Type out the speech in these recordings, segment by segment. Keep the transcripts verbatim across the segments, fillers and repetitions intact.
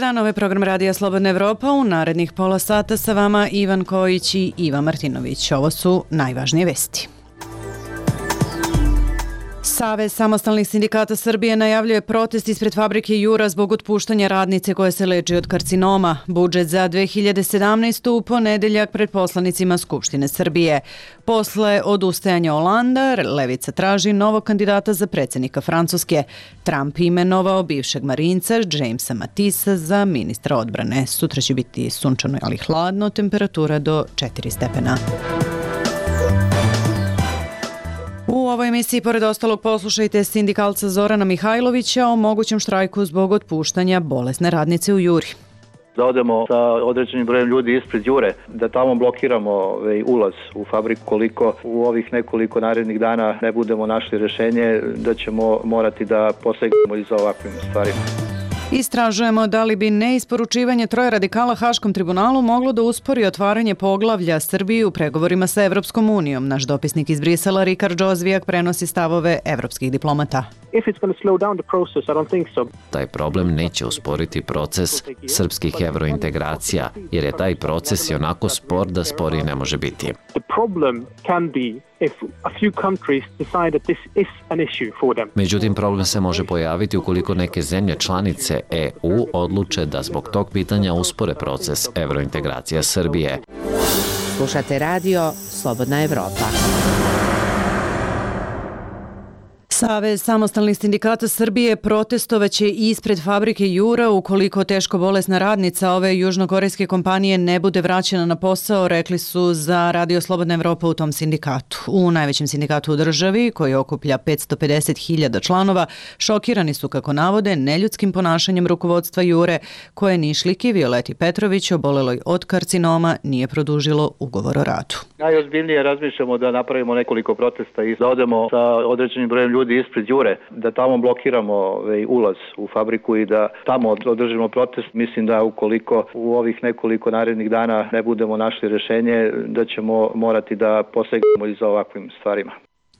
dan, ovo je program Radija Slobodna Evropa. U narednih pola sata sa vama Ivan Kojić i Iva Martinović. Ovo su najvažnije vesti. Savez samostalnih sindikata Srbije najavljuje protest ispred fabrike Jura zbog otpuštanja radnice koja se leči od karcinoma. Budžet za dve hiljade sedamnaestu. u ponedeljak pred poslanicima Skupštine Srbije. Posle odustajanja Olanda, Levica traži novog kandidata za predsjednika Francuske. Trump imenovao bivšeg marinca Jamesa Matisa za ministra odbrane. Sutra će biti sunčano, ali hladno, temperatura do četiri stepena. U ovoj emisiji, pored ostalog, poslušajte sindikalca Zorana Mihajlovića o mogućem štrajku zbog otpuštanja bolesne radnice u Juri. Da odemo sa određenim brojem ljudi ispred Jure, da tamo blokiramo ovaj, ulaz u fabriku. Koliko u ovih nekoliko narednih dana ne budemo našli rješenje, da ćemo morati da posegnemo i za ovakvim stvarima. Istražujemo da li bi neisporučivanje troje radikala Haškom tribunalu moglo da uspori otvaranje poglavlja Srbiji u pregovorima sa Evropskom unijom. Naš dopisnik iz Brisela, Rikard Džozvijak, prenosi stavove evropskih diplomata. Taj problem neće usporiti proces srpskih evrointegracija, jer je taj proces i onako spor da sporiji ne može biti. Međutim, problem se može pojaviti ukoliko neke zemlje članice E U odluče da zbog tog pitanja uspore proces evrointegracija Srbije. Slušate radio Slobodna Evropa. Savez samostalnih sindikata Srbije protestovaće ispred fabrike Jura ukoliko teško bolesna radnica ove južnokorejske kompanije ne bude vraćena na posao, rekli su za Radio Slobodna Evropa u tom sindikatu. U najvećem sindikatu u državi, koji okuplja petsto pedeset hiljada članova, šokirani su, kako navode, neljudskim ponašanjem rukovodstva Jure, koje Nišliki Violeti Petrović, oboleloj od karcinoma, nije produžilo ugovor o radu. Najozbiljnije razmišljamo da napravimo nekoliko protesta i da odemo sa određenim brojem ljudi ispred Jure, da tamo blokiramo ovaj, ulaz u fabriku i da tamo održimo protest. Mislim da ukoliko u ovih nekoliko narednih dana ne budemo našli rješenje, da ćemo morati da posegnemo i za ovakvim stvarima.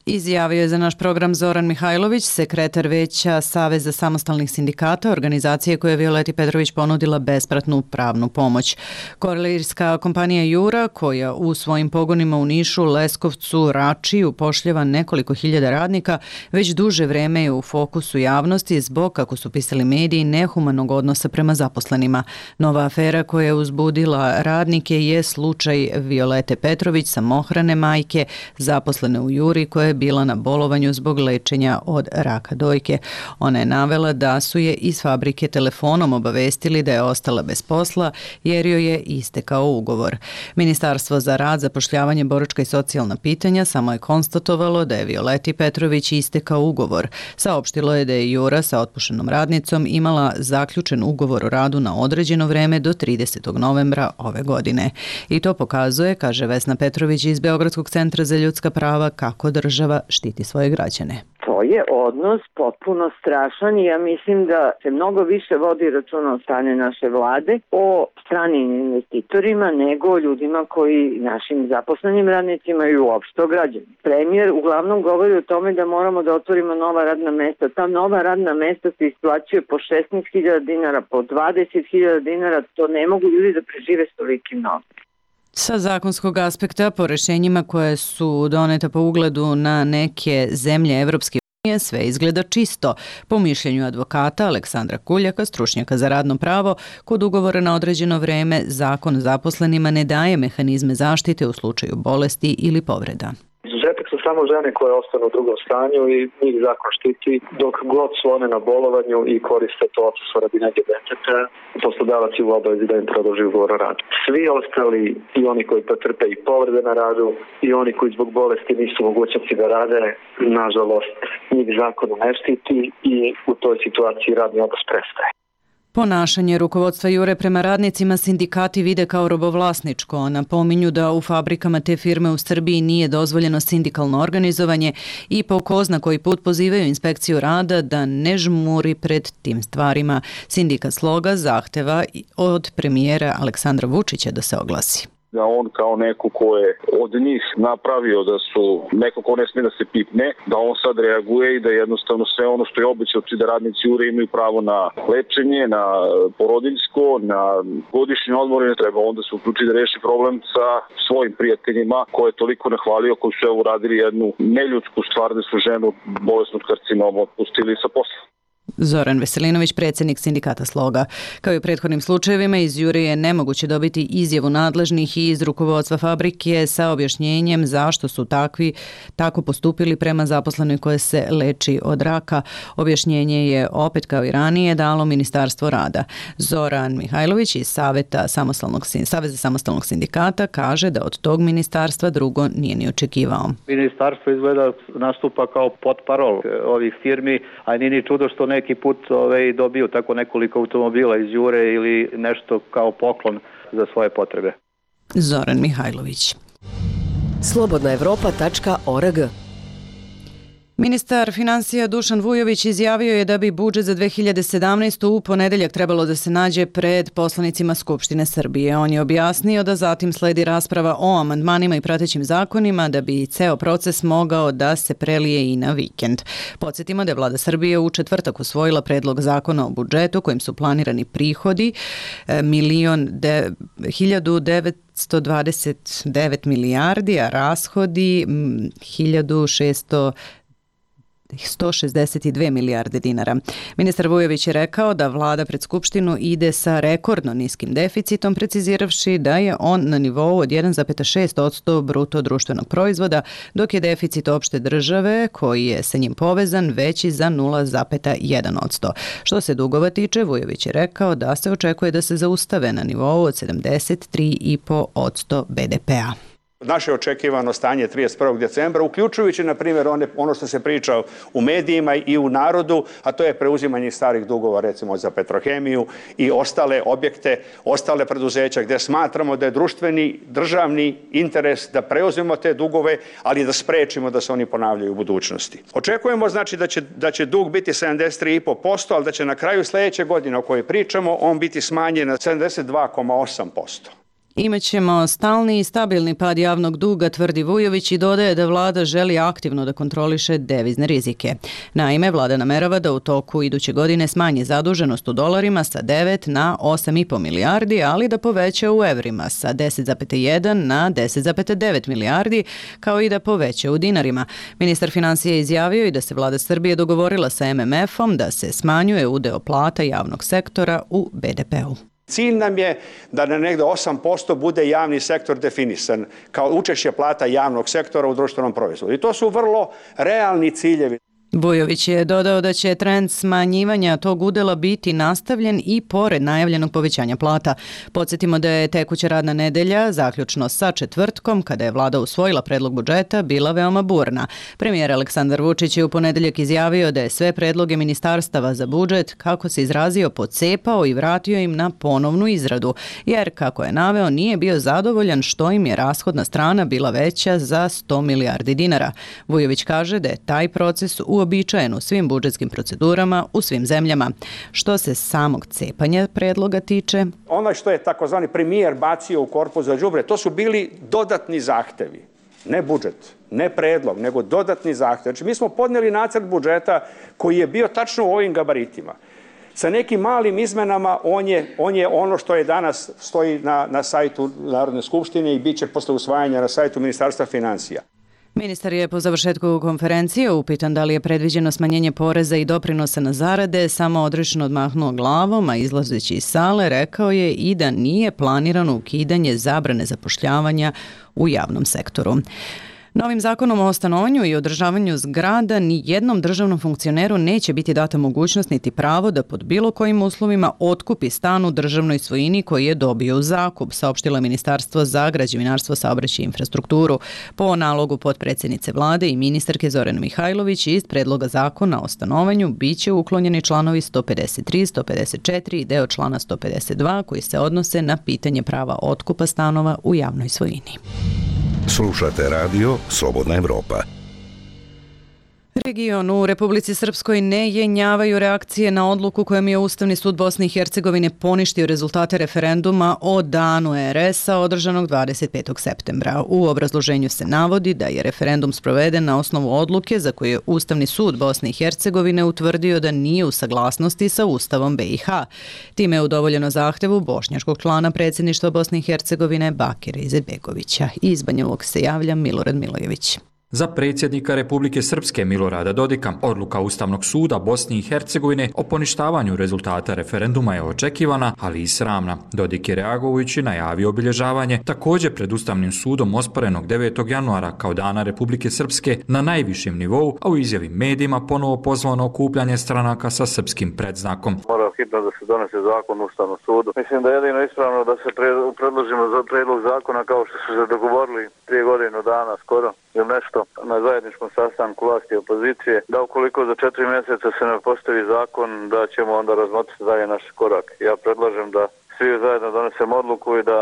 Izjavio je za naš program Zoran Mihajlović, sekretar veća Saveza samostalnih sindikata, organizacije koja je Violeti Petrović ponudila besplatnu pravnu pomoć. Kurirska kompanija Jura, koja u svojim pogonima u Nišu, Leskovcu, Rači upošljava nekoliko hiljada radnika, već duže vreme je u fokusu javnosti zbog, kako su pisali mediji, nehumanog odnosa prema zaposlenima. Nova afera koja je uzbudila radnike je slučaj Violete Petrović, samohrane majke, zaposlene u Juri, koja je bila na bolovanju zbog lečenja od raka dojke. Ona je navela da su je iz fabrike telefonom obavestili da je ostala bez posla jer joj je istekao ugovor. Ministarstvo za rad, zapošljavanje, boračka i socijalna pitanja samo je konstatovalo da je Violeti Petrović istekao ugovor. Saopštilo je da je Jura sa otpušenom radnicom imala zaključen ugovor o radu na određeno vreme do tridesetog novembra ove godine. I to pokazuje, kaže Vesna Petrović iz Beogradskog centra za ljudska prava, kako država štiti svoje građane. To je odnos potpuno strašan i ja mislim da se mnogo više vodi računa o strane naše vlade o stranim investitorima nego o ljudima koji, našim zaposlenim radnicima i uopšte o građanima. Premijer uglavnom govori o tome da moramo da otvorimo nova radna mesta. Ta nova radna mesta se isplaćuje po šesnaest hiljada dinara, po dvadeset hiljada dinara. To ne mogu ljudi da prežive s tolikim novcem. Sa zakonskog aspekta, po rešenjima koje su doneta po ugledu na neke zemlje Evropske unije, sve izgleda čisto. Po mišljenju advokata Aleksandra Kuljaka, stručnjaka za radno pravo, kod ugovora na određeno vreme zakon zaposlenima ne daje mehanizme zaštite u slučaju bolesti ili povreda. Izuzetak su samo žene koje ostanu u drugom stanju i njih zakon štiti dok god su one na bolovanju i koriste to odsustvo radi nege deteta. Poslodavac je u obavezi da im produži ugovor o radu. Svi ostali, i oni koji pretrpe i povrede na radu i oni koji zbog bolesti nisu mogućnosti da rade, nažalost, njih zakon ne štiti i u toj situaciji radni odnos prestaje. Ponašanje rukovodstva Jure prema radnicima sindikati vide kao robovlasničko. Napominju da u fabrikama te firme u Srbiji nije dozvoljeno sindikalno organizovanje i po ko zna koji put pozivaju inspekciju rada da ne žmuri pred tim stvarima. Sindikat Sloga zahteva od premijera Aleksandra Vučića da se oglasi. da on kao neko ko je od njih napravio da su neko ko ne smije da se pipne, da on sad reaguje i da jednostavno sve ono što je obećao da radnici Jure imaju pravo na lečenje, na porodiljsko, na godišnje odmore, treba onda se uključi da reši problem sa svojim prijateljima koje je toliko nahvalio, koji su evo uradili jednu neljudsku stvar da su ženu bolesnog karcinoma otpustili sa posla. Zoran Veselinović, predsjednik sindikata Sloga. Kao i u prethodnim slučajevima, iz Jure je nemoguće dobiti izjavu nadležnih i iz rukovodstva fabrike sa objašnjenjem zašto su takvi tako postupili prema zaposlenoj koje se leči od raka. Objašnjenje je opet kao i ranije dalo Ministarstvo rada. Zoran Mihajlović iz Saveta samostalnog, Saveza samostalnog sindikata kaže da od tog ministarstva drugo nije ni očekivao. Ministarstvo izgleda nastupa kao potparol ovih firmi, a nije ni čudo što neki put ovaj, dobiju tako nekoliko automobila iz Jure ili nešto kao poklon za svoje potrebe. Zoran Mihajlović. slobodna evropa tačka org. Ministar finansija Dušan Vujović izjavio je da bi budžet za dve hiljade sedamnaestu. u ponedeljak trebalo da se nađe pred poslanicima Skupštine Srbije. On je objasnio da zatim sledi rasprava o amandmanima i pratećim zakonima da bi ceo proces mogao da se prelije i na vikend. Podsjetimo da je Vlada Srbije u četvrtak usvojila predlog zakona o budžetu kojim su planirani prihodi milion de, hiljadu devetsto dvadeset devet milijardi, a rashodi hiljadu šesto sto šezdeset dve milijarde dinara. Ministar Vujović je rekao da vlada pred Skupštinu ide sa rekordno niskim deficitom, preciziravši da je on na nivou od jedan zarez šest posto bruto društvenog proizvoda, dok je deficit opšte države, koji je sa njim povezan, veći za nula zarez jedan posto. Što se dugova tiče, Vujović je rekao da se očekuje da se zaustave na nivou od sedamdeset tri zarez pet posto be de pea. Naše očekivano stanje trideset prvog decembra, uključujući, na primjer, ono što se priča u medijima i u narodu, a to je preuzimanje starih dugova, recimo za Petrohemiju i ostale objekte, ostale preduzeća, gdje smatramo da je društveni, državni interes da preuzmemo te dugove, ali da sprečimo da se oni ponavljaju u budućnosti. Očekujemo, znači, da će, da će dug biti sedamdeset tri zarez pet posto, ali da će na kraju sljedeće godine o kojoj pričamo, on biti smanjen na sedamdeset dva zarez osam posto. Imaćemo stalni i stabilni pad javnog duga, tvrdi Vujović i dodaje da vlada želi aktivno da kontroliše devizne rizike. Naime, vlada namerava da u toku iduće godine smanji zaduženost u dolarima sa devet na osam zarez pet milijardi, ali da poveća u evrima sa deset zarez jedan na deset zarez devet milijardi, kao i da poveća u dinarima. Ministar finansija je izjavio i da se vlada Srbije dogovorila sa em em efom da se smanjuje udeo plata javnog sektora u be de peu. Cilj nam je da na negde osam posto bude javni sektor definisan kao učešće plata javnog sektora u društvenom proizvodu. I to su vrlo realni ciljevi. Vujović je dodao da će trend smanjivanja tog udela biti nastavljen i pored najavljenog povećanja plata. Podsjetimo da je tekuća radna nedelja, zaključno sa četvrtkom, kada je vlada usvojila predlog budžeta, bila veoma burna. Premijer Aleksandar Vučić je u ponedeljak izjavio da je sve predloge ministarstava za budžet, kako se izrazio, pocepao i vratio im na ponovnu izradu, jer, kako je naveo, nije bio zadovoljan što im je rashodna strana bila veća za sto milijardi dinara. Vujović kaže da je taj proces u uobičajen u svim budžetskim procedurama u svim zemljama. Što se samog cepanja predloga tiče, ono što je takozvani premijer bacio u korpus za đubre, to su bili dodatni zahtevi. Ne budžet, ne predlog, nego dodatni zahtev. Znači, mi smo podnijeli nacrt budžeta koji je bio tačno u ovim gabaritima. Sa nekim malim izmenama on je, on je ono što je danas stoji na, na sajtu Narodne skupštine i bit će posle usvajanja na sajtu Ministarstva finansija. Ministar je po završetku konferencije upitan da li je predviđeno smanjenje poreza i doprinosa na zarade, samo odrešeno odmahnuo glavom, a izlazeći iz sale rekao je i da nije planirano ukidanje zabrane zapošljavanja u javnom sektoru. Novim zakonom o stanovanju i održavanju zgrada ni jednom državnom funkcioneru neće biti data mogućnost niti pravo da pod bilo kojim uslovima otkupi stan u državnoj svojini koji je dobio u zakup, saopštilo Ministarstvo za građevinarstvo, saobraćaj i infrastrukturu. Po nalogu potpredsjednice vlade i ministarke Zorane Mihajlović iz predloga zakona o stanovanju biće uklonjeni članovi sto pedeset tri, sto pedeset četiri i deo člana sto pedeset dva koji se odnose na pitanje prava otkupa stanova u javnoj svojini. Slušate radio Slobodna Evropa. regionu u Republici Srpskoj ne jenjavaju reakcije na odluku kojom je Ustavni sud Bosne i Hercegovine poništio rezultate referenduma o danu er es-a održanog dvadeset petog septembra. U obrazloženju se navodi da je referendum sproveden na osnovu odluke za koju je Ustavni sud Bosne i Hercegovine utvrdio da nije u saglasnosti sa Ustavom be i ha. Time je udovoljeno zahtevu bošnjačkog člana predsjedništva Bosne i Hercegovine Bakira Izetbegovića. Iz Banja Luke se javlja Milorad Milojević. Za predsjednika Republike Srpske Milorada Dodika, odluka Ustavnog suda Bosne i Hercegovine o poništavanju rezultata referenduma je očekivana, ali i sramna. Dodik je reagujući najavio obilježavanje također pred Ustavnim sudom osporenog devetog januara kao dana Republike Srpske na najvišem nivou, a u izjavi medijima ponovo pozvano okupljanje stranaka sa srpskim predznakom. Mora hitno da se donese zakon u Ustavnom sudu. Mislim da je jedino ispravno da se predložimo za predlog zakona kao što su se dogovorili prije godinu dana skoro ili nešto na zajedničkom sastanku vlasti i opozicije, da ukoliko za četiri mjeseca se ne postavi zakon, da ćemo onda razmotriti dalje naš korak. Ja predlažem da svi zajedno donesemo odluku i da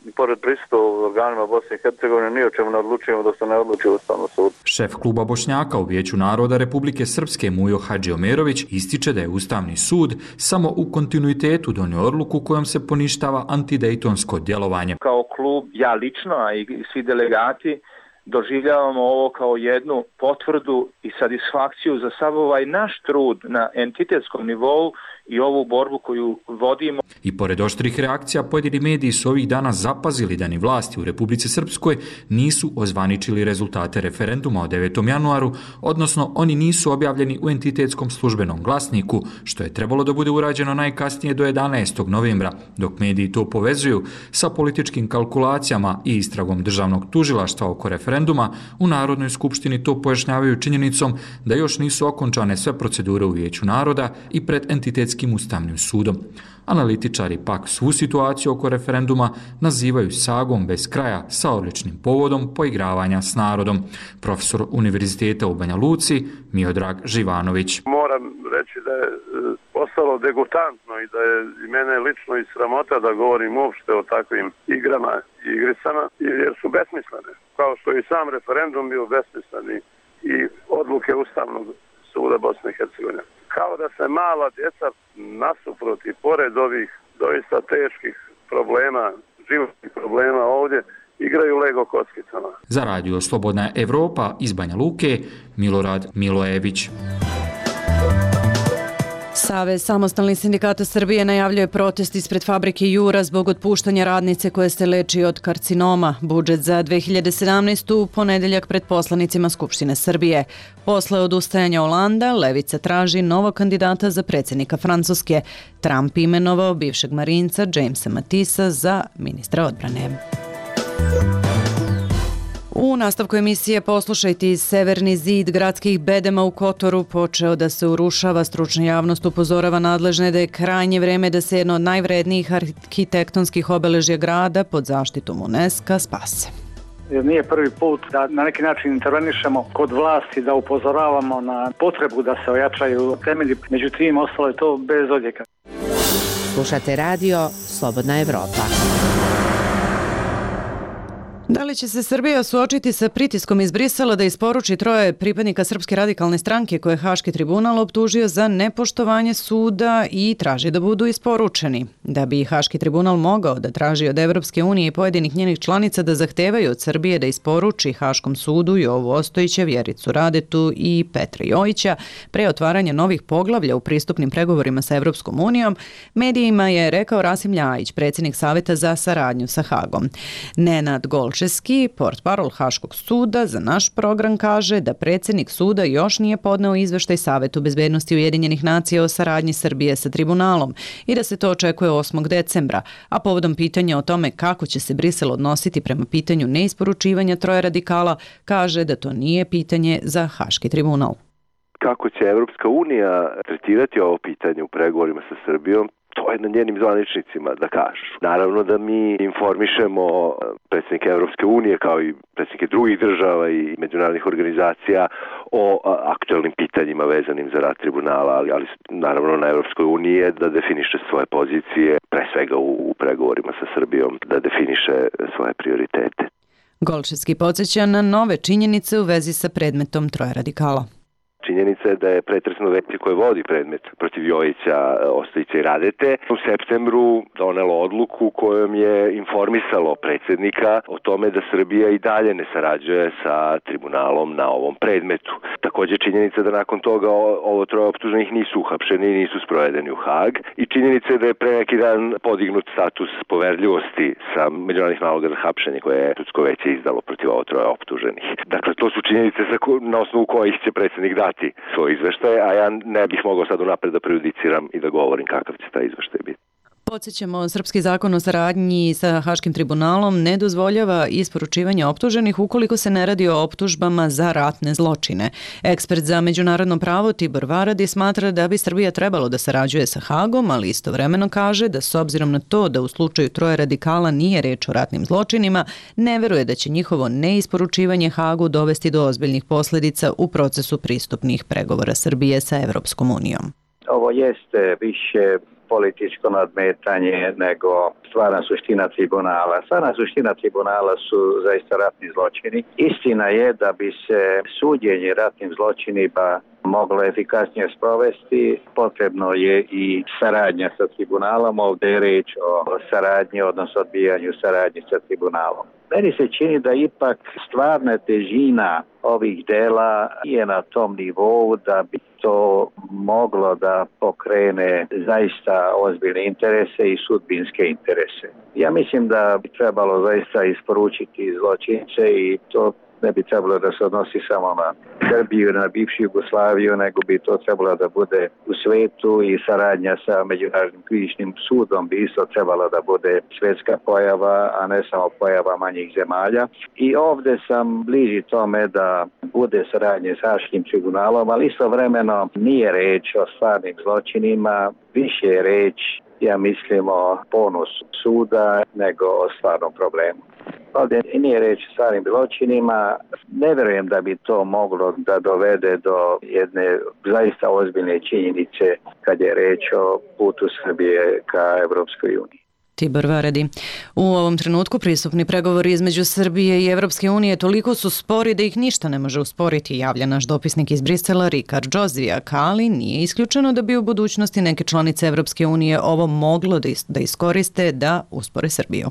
i pored prisustva u organima Bosne i Hercegovine ni o čemu ne odlučujemo da se ne odluči u Ustavnom sudu. Šef kluba Bošnjaka u Vijeću naroda Republike Srpske Mujo Hadžiomerović ističe da je Ustavni sud samo u kontinuitetu donio odluku kojom se poništava antidejtonsko djelovanje. Kao klub, ja lično, a i svi delegati, doživljavamo ovo kao jednu potvrdu i satisfakciju za sav ovaj naš trud na entitetskom nivou i ovu borbu koju vodimo. I pored oštrih reakcija, pojedini mediji su ovih dana zapazili da ni vlasti u Republici Srpskoj nisu ozvaničili rezultate referenduma o devetom januaru, odnosno oni nisu objavljeni u entitetskom službenom glasniku, što je trebalo da bude urađeno najkasnije do jedanaestog novembra, dok mediji to povezuju sa političkim kalkulacijama i istragom državnog tužilaštva oko referenduma. U Narodnoj skupštini to pojašnjavaju činjenicom da još nisu okončane sve procedure u Vijeću naroda i pred entitetskim Ustavnim sudom. Analitičari pak svu situaciju oko referenduma nazivaju sagom bez kraja sa odličnim povodom poigravanja s narodom. Profesor Univerziteta u Banja Luci Miodrag Živanović. Moram reći da je postalo degutantno i da je i mene lično i sramota da govorim uopšte o takvim igrama i igricama, jer su besmislene. Kao što i sam referendum bio besmisleni i odluke Ustavnog suda Bosne i Hercegovine. Kao da se mala djeca nasuprot i pored ovih doista teških problema, životnih problema ovdje, igraju Lego kockicama. Za radio Slobodna Evropa iz Banja Luke, Milorad Milojević. Savez samostalnih sindikata Srbije najavljuje protest ispred fabrike Jura zbog otpuštanja radnice koje se leči od karcinoma. Budžet za dve hiljade sedamnaestu. u ponedeljak pred poslanicima Skupštine Srbije. Posle odustajanja Olanda, Levica traži novog kandidata za predsjednika Francuske. Trump imenovao bivšeg marinca Jamesa Matisa za ministra odbrane. U nastavku emisije poslušajte, Severni zid gradskih bedema u Kotoru počeo da se urušava. Stručna javnost upozorava nadležne da je krajnje vreme da se jedno od najvrednijih arhitektonskih obeležja grada pod zaštitom UNESCO spase. Jer nije prvi put da na neki način intervenišemo kod vlasti, da upozoravamo na potrebu da se ojačaju temelji, međutim ostalo je to bez odjeka. Slušate radio Slobodna Evropa. Da li će se Srbija suočiti sa pritiskom iz Brisela da isporuči troje pripadnika Srpske radikalne stranke koje je Haški tribunal optužio za nepoštovanje suda i traži da budu isporučeni? Da bi Haški tribunal mogao da traži od Evropske unije i pojedinih njenih članica da zahtevaju od Srbije da isporuči Haškom sudu Jovu Ostojića, Vjericu Radetu i Petra Jojića pre otvaranja novih poglavlja u pristupnim pregovorima sa Evropskom unijom, medijima je rekao Rasim Ljajić, predsjednik Saveta za saradnju sa Hagom. Nenad Golčeski, portparol Haškog suda, za naš program kaže da predsjednik suda još nije podneo izveštaj Savetu bezbednosti Ujedinjenih nacija o saradnji Srbije sa tribunalom i da se to očekuje osmog decembra, a povodom pitanja o tome kako će se Brisel odnositi prema pitanju neisporučivanja troje radikala, kaže da to nije pitanje za Haški tribunal. Kako će Evropska unija tretirati ovo pitanje u pregovorima sa Srbijom, to je na njenim zvaničnicima da kažu. Naravno da mi informišemo predsjednike Evropske unije kao i predsjednike drugih država i međunarodnih organizacija o aktualnim pitanjima vezanim za rad tribunala, ali, ali naravno na Evropskoj uniji je da definiše svoje pozicije, pre svega u, u pregovorima sa Srbijom, da definiše svoje prioritete. Golčevski podsjeća na nove činjenice u vezi sa predmetom troje radikala. činjenica je da je pretresno veće koje vodi predmet protiv Jojića, Ostojića i Radete u septembru donelo odluku kojom je informisalo predsjednika o tome da Srbija i dalje ne sarađuje sa tribunalom na ovom predmetu. Također činjenica da nakon toga ovo troje optuženih nisu uhapšeni i nisu sprovedeni u Hag i činjenica je da je pre neki dan podignut status poverljivosti sa međunarodnih naloga za hapšenje koje je sudsko veće izdalo protiv ovo troje optuženih. Dakle, to su činjenice na osnovu kojih će predsjednik dati svoj izveštaj, a ja ne bih mogao sad unapred da prejudiciram i da govorim kakav će taj izveštaj biti. Podsjećamo, srpski zakon o saradnji sa Haškim tribunalom ne dozvoljava isporučivanje optuženih ukoliko se ne radi o optužbama za ratne zločine. Ekspert za međunarodno pravo Tibor Varadi smatra da bi Srbija trebalo da sarađuje sa Hagom, ali istovremeno kaže da s obzirom na to da u slučaju troje radikala nije reč o ratnim zločinima, ne veruje da će njihovo neisporučivanje Hagu dovesti do ozbiljnih posljedica u procesu pristupnih pregovora Srbije sa Evropskom unijom. Ovo jeste više političko nadmetanje nego stvarna suština tribunala. Stvarna suština tribunala su zaista ratni zločini. Istina je da bi se suđenje ratnim zločinima moglo efikasnije sprovesti, potrebno je i saradnja sa tribunalom. Ovdje je reč o saradnji, odnosno odbijanju saradnje sa tribunalom. Meni se čini da ipak stvarna težina ovih dela je na tom nivou da bi to moglo da pokrene zaista ozbiljne interese i sudbinske interese. Ja mislim da bi trebalo zaista isporučiti zločince i to ne bi trebalo da se odnosi samo na Srbiju, na bivšu Jugoslaviju, nego bi to trebalo da bude u svetu i saradnja sa Međunarodnim krivičnim sudom bi isto trebalo da bude svjetska pojava, a ne samo pojava manjih zemalja. I ovdje sam bliži tome da bude saradnje s Haškim tribunalom, ali istovremeno nije reč o stvarnim zločinima, više je reč, ja mislim, o ponosu suda nego o stvarnom problemu. Ovdje nije reč o stvarnim zločinima. Ne vjerujem da bi to moglo da dovede do jedne zaista ozbiljne činjenice kad je reč o putu Srbije ka Evropskoj uniji. Tibor Varadi. U ovom trenutku pristupni pregovori između Srbije i Evropske unije toliko su spori da ih ništa ne može usporiti, javlja naš dopisnik iz Brisela Rikard Džozijak, ali nije isključeno da bi u budućnosti neke članice Evropske unije ovo moglo da iskoriste da uspore Srbiju.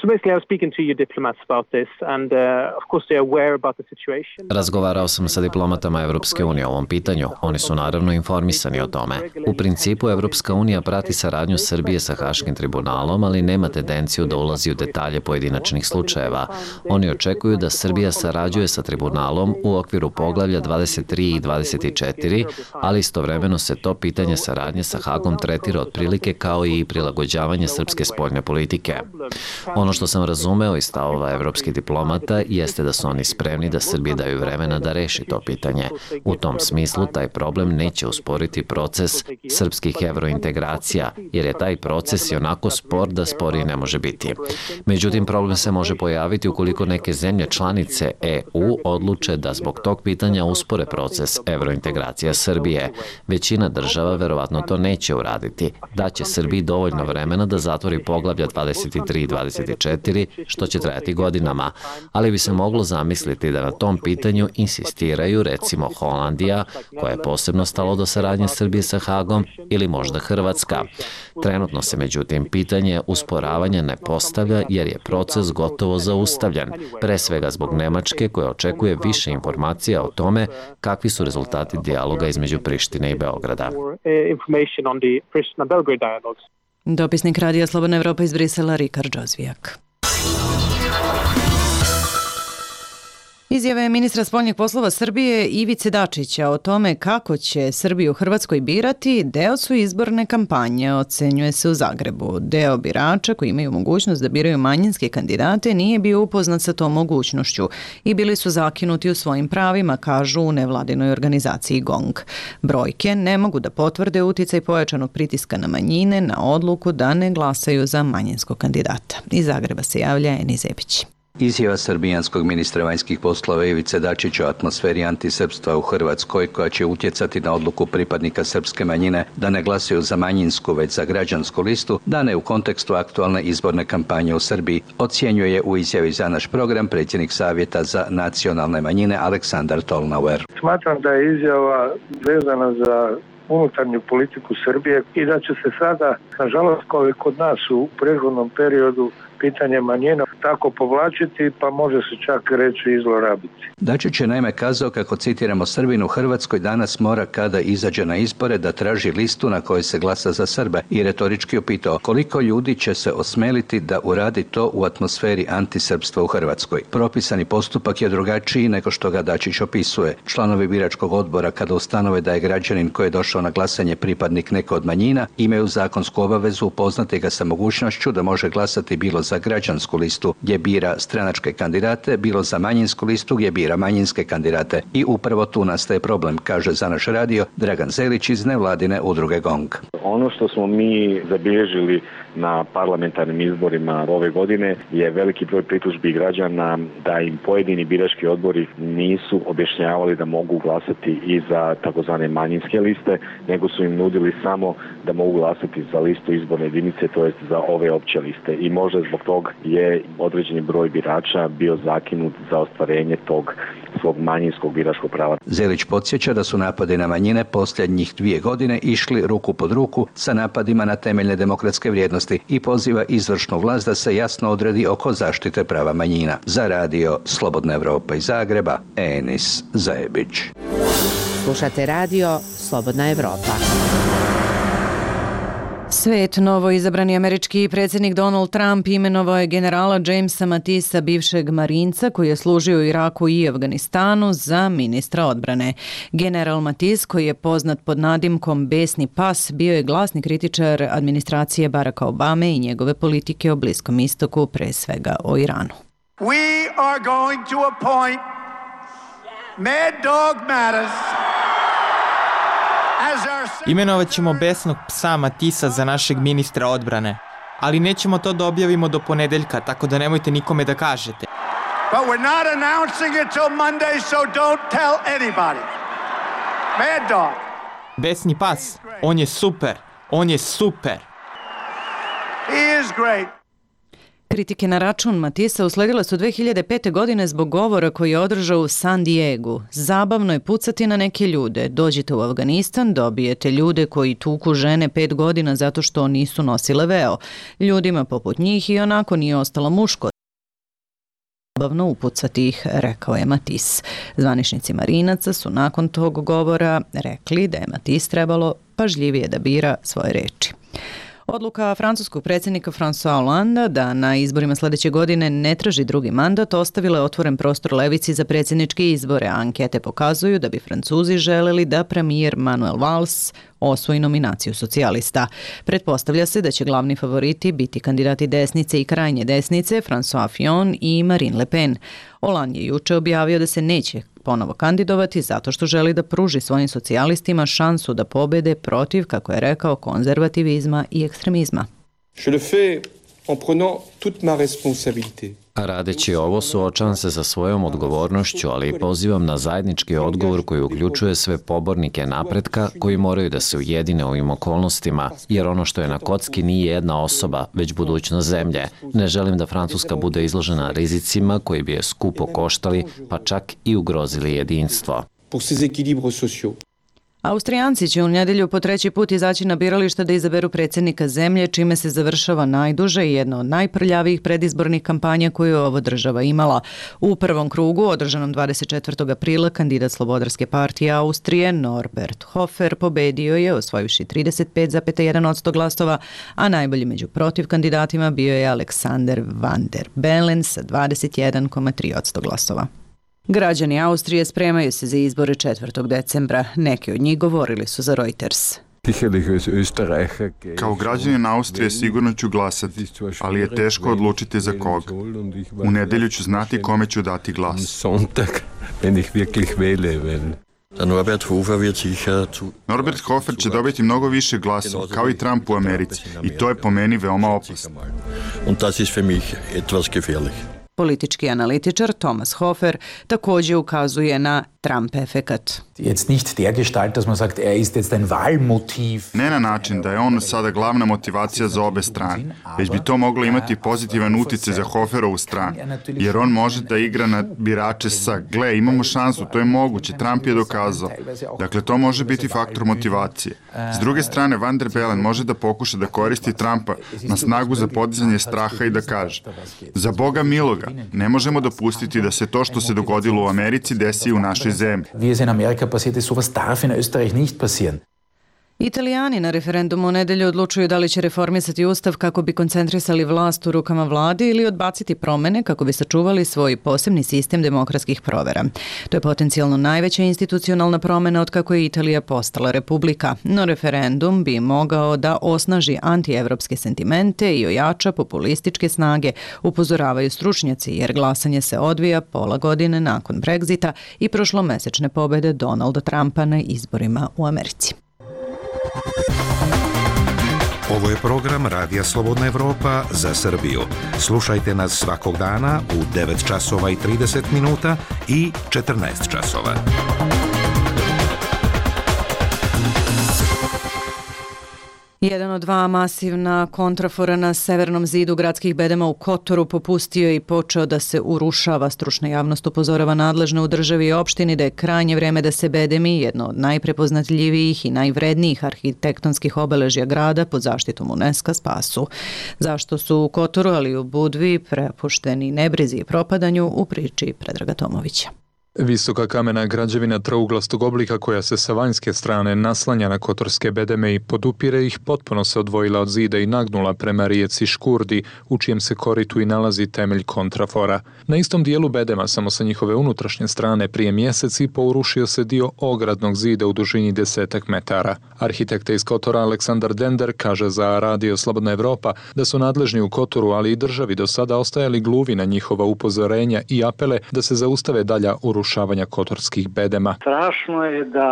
So basically I was speaking to your diplomats about this and uh, of course they are aware about the situation. Razgovarao sam sa diplomatama Evropske unije o ovom pitanju. Oni su naravno informisani o tome. U principu Evropska unija prati saradnju Srbije sa Haškim tribunalom, ali nema tendenciju da ulazi u detalje pojedinačnih slučajeva. Oni očekuju da Srbija sarađuje sa tribunalom u okviru poglavlja dvadeset tri i dvadeset četiri, ali istovremeno se to pitanje saradnje sa Hagom tretira otprilike kao i prilagođavanje srpske spoljne politike. Ono što sam razumeo iz stavova evropskih diplomata jeste da su oni spremni da Srbiji daju vremena da reši to pitanje. U tom smislu taj problem neće usporiti proces srpskih evrointegracija, jer je taj proces i onako spor da sporiji ne može biti. Međutim, problem se može pojaviti ukoliko neke zemlje članice E U odluče da zbog tog pitanja uspore proces evrointegracija Srbije. Većina država verovatno to neće uraditi. Daće Srbiji dovoljno vremena da zatvori poglavlja dvadeset tri i dvadeset četiri, što će trajati godinama, ali bi se moglo zamisliti da na tom pitanju insistiraju recimo Holandija, koja je posebno stalo do saradnje Srbije sa Hagom, ili možda Hrvatska. Trenutno se međutim pitanje usporavanja ne postavlja jer je proces gotovo zaustavljen, pre svega zbog Nemačke koja očekuje više informacija o tome kakvi su rezultati dijaloga između Prištine i Beograda. Dopisnik Radija Slobodna Evropa iz Brisela Rikard Džozijak. Izjave ministra spoljnih poslova Srbije Ivice Dačića o tome kako će Srbiju u Hrvatskoj birati deo su izborne kampanje, ocenjuje se u Zagrebu. Deo birača koji imaju mogućnost da biraju manjinske kandidate nije bio upoznat sa tom mogućnošću i bili su zakinuti u svojim pravima, kažu u nevladinoj organizaciji GONG. Brojke ne mogu da potvrde uticaj pojačanog pritiska na manjine na odluku da ne glasaju za manjinskog kandidata. Iz Zagreba se javlja Eni Zebić. Izjava srbijanskog ministra vanjskih poslova Ivice Dačića o atmosferi antisrpstva u Hrvatskoj, koja će utjecati na odluku pripadnika srpske manjine da ne glasaju za manjinsku već za građansku listu, dane u kontekstu aktualne izborne kampanje u Srbiji, ocjenjuje u izjavi za naš program predsjednik Savjeta za nacionalne manjine Aleksandar Tolnauer. Smatram da je izjava vezana za unutarnju politiku Srbije i da će se sada, nažalost, kao i kod nas u prethodnom periodu, pitanje manjina tako povlačiti, pa može se čak reći i zlorabiti. Dačić je naime kazao kako, citiramo, Srbin u Hrvatskoj danas mora kada izađe na izbore da traži listu na kojoj se glasa za Srbe i retorički upitao koliko ljudi će se osmeliti da uradi to u atmosferi antisrpstva u Hrvatskoj. Propisani postupak je drugačiji nego što ga Dačić opisuje. Članovi biračkog odbora, kada ustanove da je građanin koji je došao na glasanje pripadnik neke od manjina, imaju zakonsku obavezu upoznati ga sa mogućnošću da može glasati bilo za građansku listu gdje bira stranačke kandidate, bilo za manjinsku listu gdje bira manjinske kandidate. I upravo tu nastaje problem, kaže za naš radio Dragan Zelić iz nevladine udruge GONG. Ono što smo mi zabilježili na parlamentarnim izborima ove godine je veliki broj pritužbi građana da im pojedini birački odbori nisu objašnjavali da mogu glasati i za takozvane manjinske liste, nego su im nudili samo da mogu glasati za listu izborne jedinice, to jest za ove opće liste. I možda zbog tog je određeni broj birača bio zakinut za ostvarenje tog svog manjinskog biračkog prava. Zelić podsjeća da su napadi na manjine posljednjih dvije godine išli ruku pod ruku sa napadima na temeljne demokratske vrijednosti i poziva izvršnu vlast da se jasno odredi oko zaštite prava manjina. Za radio Slobodna Evropa iz Zagreba, Enis Zajebić. Slušate radio Slobodna Evropa. Svet, novo izabrani američki predsjednik Donald Trump imenovao je generala Jamesa Matisa, bivšeg marinca koji je služio u Iraku i Afganistanu, za ministra odbrane. General Matis, koji je poznat pod nadimkom Besni pas, bio je glasni kritičar administracije Baracka Obame i njegove politike o Bliskom istoku, pre svega o Iranu. We are going to appoint Mad Dog Mattis. Imenovat ćemo besnog psa Matisa za našeg ministra odbrane, ali nećemo to da objavimo do ponedeljka, tako da nemojte nikome da kažete. But we're not announcing it till Monday, so don't tell anybody. Mad Dog. Besni pas, on je super, on je super. He is great. Kritike na račun Matisa usledile su dve hiljade pete. godine zbog govora koji je održao u San Diegu. Zabavno je pucati na neke ljude. Dođite u Afganistan, dobijete ljude koji tuku žene pet godina zato što nisu nosile veo. Ljudima poput njih i onako nije ostalo muško. Zabavno upucati ih, rekao je Matis. Zvaničnici marinaca su nakon tog govora rekli da je Matis trebalo pažljivije da bira svoje reči. Odluka francuskog predsjednika François Hollande da na izborima sljedeće godine ne traži drugi mandat ostavila je otvoren prostor levici za predsjedničke izbore. Ankete pokazuju da bi Francuzi želeli da premijer Manuel Valls osvoji nominaciju socijalista. Pretpostavlja se da će glavni favoriti biti kandidati desnice i krajnje desnice François Fillon i Marine Le Pen. Hollande je juče objavio da se neće ponovo kandidovati zato što želi da pruži svojim socijalistima šansu da pobede protiv, kako je rekao, konzervativizma i ekstremizma. Je le fais en prenant toute ma responsabilité. Radeći ovo suočavam se sa svojom odgovornošću, ali i pozivam na zajednički odgovor koji uključuje sve pobornike napretka koji moraju da se ujedine u ovim okolnostima, jer ono što je na kocki nije jedna osoba, već budućnost zemlje. Ne želim da Francuska bude izložena rizicima koji bi je skupo koštali, pa čak i ugrozili jedinstvo. Pour ces équilibres sociaux. Austrijanci će u nedjelju po treći put izaći na birališta da izaberu predsjednika zemlje, čime se završava najduže i jedna od najprljavijih predizbornih kampanja koju je ova država imala. U prvom krugu, održanom dvadeset četvrtog aprila, kandidat Slobodarske partije Austrije Norbert Hofer pobedio je, osvojivši trideset pet zarez jedan posto glasova, a najbolji među protiv kandidatima bio je Alexander Van der Bellen sa dvadeset jedan zarez tri posto glasova. Građani Austrije spremaju se za izbore četvrtog decembra. Neki od njih govorili su za Reuters. Kao građanin Austrije sigurno ću glasati, ali je teško odlučiti za koga. U nedelju ću znati kome ću dati glas. Norbert Hofer će dobiti mnogo više glasova, kao i Trump u Americi, i to je po meni veoma opasno. Politički analitičar Thomas Hofer također ukazuje na Trump efekat. Ne na način da je on sada glavna motivacija za obe strane, već bi to moglo imati pozitivan utjecaj za Hoferovu stranu, jer on može da igra na birače sa gle, imamo šansu, to je moguće, Trump je dokazao. Dakle, to može biti faktor motivacije. S druge strane, Van der Bellen može da pokuša da koristi Trumpa na snagu za podizanje straha i da kaže: za Boga miloga, ne možemo dopustiti da se to što se dogodilo u Americi desi u našoj zemlji. Wie es in Amerika passiert ist, sowas darf in Österreich nicht passieren. Italijani na referendumu u nedelju odlučuju da li će reformisati ustav kako bi koncentrisali vlast u rukama vladi ili odbaciti promene kako bi sačuvali svoj posebni sistem demokratskih provera. To je potencijalno najveća institucionalna promena od kako je Italija postala republika, no referendum bi mogao da osnaži antievropske sentimente i ojača populističke snage, upozoravaju stručnjaci, jer glasanje se odvija pola godine nakon Brexita i prošlomesečne pobede Donalda Trumpa na izborima u Americi. Ovo je program Radija Slobodna Evropa za Srbiju. Slušajte nas svakog dana u devet časova i trideset minuta i četrnaest časova. Jedan od dva masivna kontrafora na severnom zidu gradskih bedema u Kotoru popustio je i počeo da se urušava. Stručna javnost upozorava nadležne u državi i opštini da je krajnje vreme da se bedemi, jedno od najprepoznatljivijih i najvrednijih arhitektonskih obeležja grada pod zaštitom UNESCO, spasu. Zašto su u Kotoru, ali i u Budvi, prepušteni nebrizi i propadanju, u priči Predraga Tomovića. Visoka kamena građevina trouglastog oblika koja se sa vanjske strane naslanja na kotorske bedeme i podupire ih potpuno se odvojila od zida i nagnula prema rijeci Škurdi, u čijem se koritu i nalazi temelj kontrafora. Na istom dijelu bedema, samo sa njihove unutrašnje strane, prije mjeseci pourušio se dio ogradnog zida u dužini desetak metara. Arhitekta iz Kotora Aleksandar Dender kaže za Radio Slobodna Evropa da su nadležni u Kotoru, ali i državi do sada ostajali gluvi na njihova upozorenja i apele da se zaustave dalja urušavanja kotorskih bedema. Strašno je da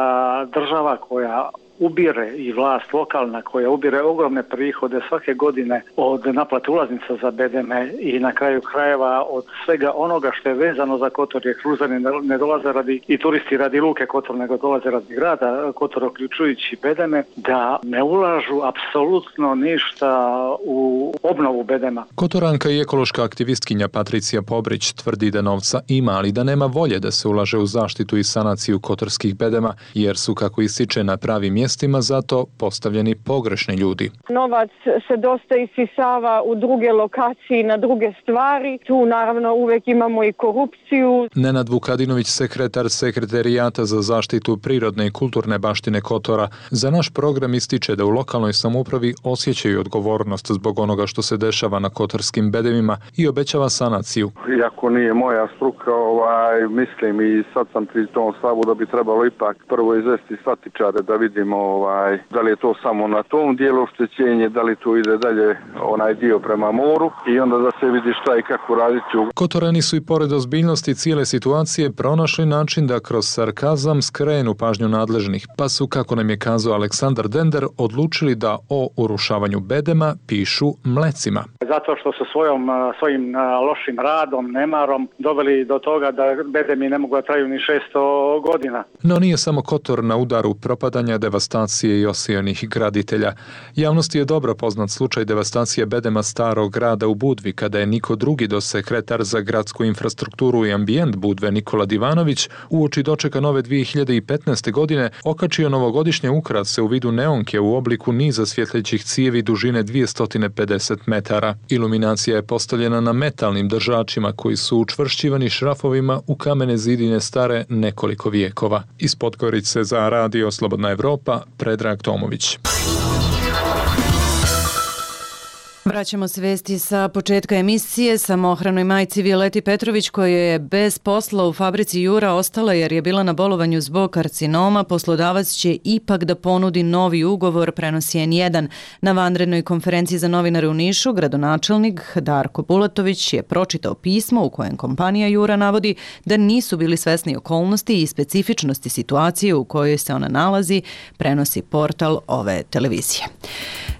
država koja ubire i vlast lokalna koja ubire ogromne prihode svake godine od naplate ulaznica za bedeme i na kraju krajeva od svega onoga što je vezano za Kotor, jer kruzani ne dolaze radi i turisti radi luke Kotor, nego dolaze radi grada Kotor, uključujući bedeme, da ne ulažu apsolutno ništa u obnovu bedema. Kotoranka i ekološka aktivistkinja Patricija Pobrić tvrdi da novca ima, ali da nema volje da se ulaže u zaštitu i sanaciju kotorskih bedema, jer su, kako ističe, na pravi mjestima zato postavljeni pogrešni ljudi. Novac se dosta isisava u druge lokacije, na druge stvari. Tu naravno uvijek imamo i korupciju. Nenad Vukadinović, sekretar Sekretarijata za zaštitu prirodne i kulturne baštine Kotora, za naš program ističe da u lokalnoj samoupravi osjećaju odgovornost zbog onoga što se dešava na kotorskim bedemima i obećava sanaciju. Iako nije moja struka, ovaj, mislim i sad sam pri tom stavu da bi trebalo ipak prvo izvesti statičare da vidimo ovaj, da li je to samo na tom dijelu oštećenje, da li to ide dalje onaj dio prema moru i onda da se vidi šta i kako raditi. Kotorani su i pored ozbiljnosti cijele situacije pronašli način da kroz sarkazam skrenu pažnju nadležnih, pa su, kako nam je kazao Aleksandar Dender, odlučili da o urušavanju bedema pišu mlecima. Zato što su svojom, svojim lošim radom, nemarom doveli do toga da bedemi ne mogu da traju ni šesto godina. No nije samo Kotor na udaru propadanja, devastacije i osijenih graditelja. Javnosti je dobro poznat slučaj devastacije bedema starog grada u Budvi, kada je niko drugi do sekretar za gradsku infrastrukturu i ambijent Budve Nikola Divanović uoči dočeka nove dvije hiljade petnaeste. godine okačio novogodišnje ukrase u vidu neonke u obliku niza svjetlećih cijevi dužine dvjesto pedeset metara. Iluminacija je postavljena na metalnim držačima koji su učvršćivani šrafovima u kamene zidine stare nekoliko vijekova. Iz Podgorice za Radio Slobodna Evropa, Predrag Tomović. Vraćamo se vesti sa početka emisije. Samohranoj majci Violeti Petrović, koja je bez posla u fabrici Jura ostala jer je bila na bolovanju zbog karcinoma, poslodavac će ipak da ponudi novi ugovor, prenosi en jedan. Na vanrednoj konferenciji za novinare u Nišu, gradonačelnik Darko Bulatović je pročitao pismo u kojem kompanija Jura navodi da nisu bili svesni okolnosti i specifičnosti situacije u kojoj se ona nalazi, prenosi portal ove televizije.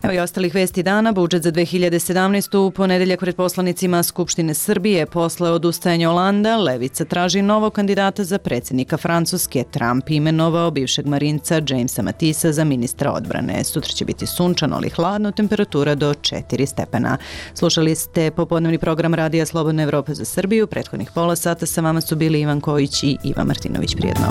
Evo i ostalih vesti dana. Budžet za dve hiljade sedamnaestu. U ponedeljak pred poslanicima Skupštine Srbije posle odustajanja Olanda, Levica traži novog kandidata za predsjednika Francuske. Trump imenovao bivšeg marinca Jamesa Matisa za ministra odbrane. Sutra će biti sunčano, ali hladno, temperatura do četiri stepena. Slušali ste popodnevni program Radija Slobodna Evropa za Srbiju. Prethodnih pola sata sa vama su bili Ivan Kojić i Ivan Martinović. Prijetno.